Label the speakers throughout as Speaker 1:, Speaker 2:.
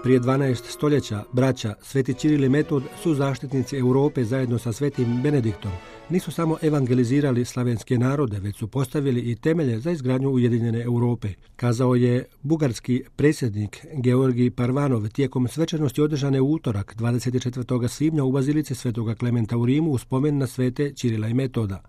Speaker 1: Prije 12 stoljeća braća Sveti Ćiril i Metod su zaštitnici Europe zajedno sa Svetim Benediktom. Nisu samo evangelizirali slavenske narode, već su postavili i temelje za izgradnju Ujedinjene Europe, kazao je bugarski predsjednik Georgij Parvanov tijekom svečanosti održane u utorak 24. svibnja u bazilici Svetoga Klementa u Rimu u spomen na Svete Ćirila i Metoda.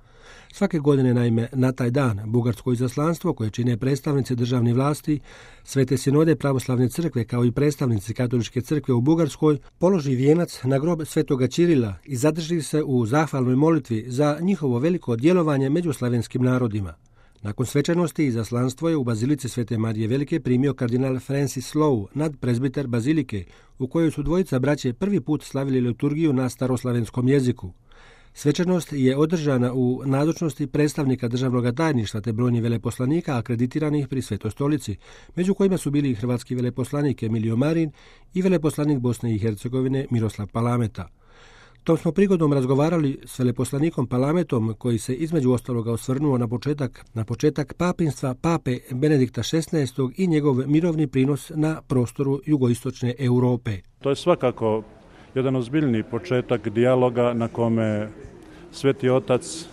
Speaker 1: Svake godine, naime, na taj dan bugarsko izaslanstvo koje čine predstavnici državnih vlasti, Svete sinode pravoslavne crkve kao i predstavnici katoličke crkve u Bugarskoj položi vijenac na grob Svetoga Ćirila i zadrži se u zahvalnoj molitvi za njihovo veliko djelovanje među slavenskim narodima. Nakon svečanosti izaslanstvo je u bazilici Svete Marije Velike primio kardinal Francis Lowe, nadprezbiter bazilike, u kojoj su dvojica braće prvi put slavili liturgiju na staroslavenskom jeziku. Svečanost je održana u nazočnosti predstavnika državnog tajništva te brojnih veleposlanika akreditiranih pri Svetoj stolici, među kojima su bili i hrvatski veleposlanik Emilio Marin i veleposlanik Bosne i Hercegovine Miroslav Palameta. Tom smo prigodom razgovarali s veleposlanikom Palametom, koji se između ostaloga osvrnuo na početak papinstva Pape Benedikta XVI i njegov mirovni prinos na prostoru jugoistočne Europe.
Speaker 2: To je svakako jedan ozbiljni početak dijaloga na kome Sveti otac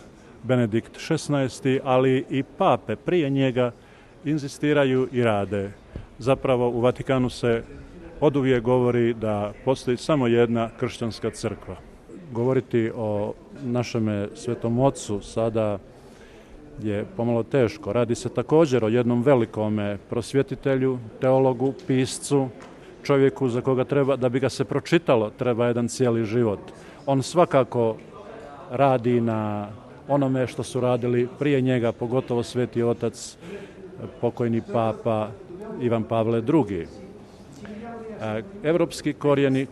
Speaker 2: Benedikt XVI, ali i pape prije njega inzistiraju i rade. Zapravo u Vatikanu se oduvijek govori da postoji samo jedna kršćanska crkva. Govoriti o našem Svetom Ocu sada je pomalo teško. Radi se također o jednom velikome prosvjetitelju, teologu, piscu, čovjeku za koga treba, da bi ga se pročitalo, treba jedan cijeli život. On svakako radi na onome što su radili prije njega, pogotovo Sveti otac, pokojni papa Ivan Pavle II. Europski korijeni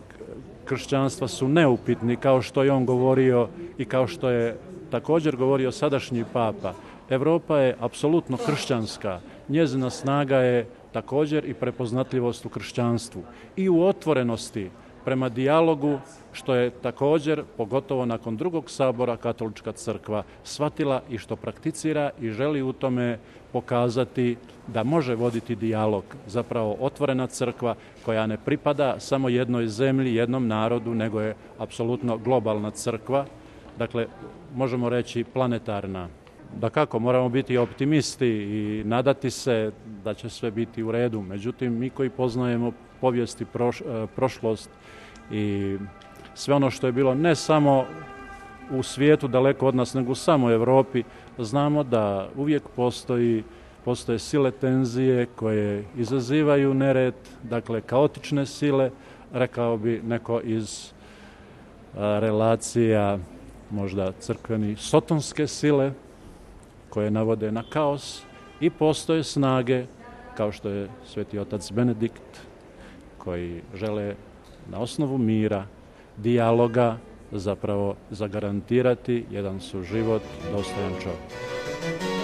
Speaker 2: kršćanstva su neupitni, kao što je on govorio i kao što je također govorio sadašnji papa. Europa je apsolutno kršćanska, njezina snaga je također i prepoznatljivost u kršćanstvu i u otvorenosti prema dijalogu, što je također, pogotovo nakon drugog sabora, katolička crkva shvatila i što prakticira i želi u tome pokazati da može voditi dijalog. Zapravo otvorena crkva koja ne pripada samo jednoj zemlji, jednom narodu, nego je apsolutno globalna crkva, dakle možemo reći planetarna. Dakako, moramo biti optimisti i nadati se da će sve biti u redu. Međutim, mi koji poznajemo povijest i prošlost i sve ono što je bilo ne samo u svijetu daleko od nas, nego u samoj Europi, znamo da uvijek postoje sile tenzije koje izazivaju nered, dakle kaotične sile, rekao bi neko iz relacija možda crkveni sotonske sile, koje navode na kaos, i postoje snage, kao što je Sveti otac Benedikt, koji žele na osnovu mira, dijaloga, zapravo zagarantirati jedan suživot dostojan čovjeka.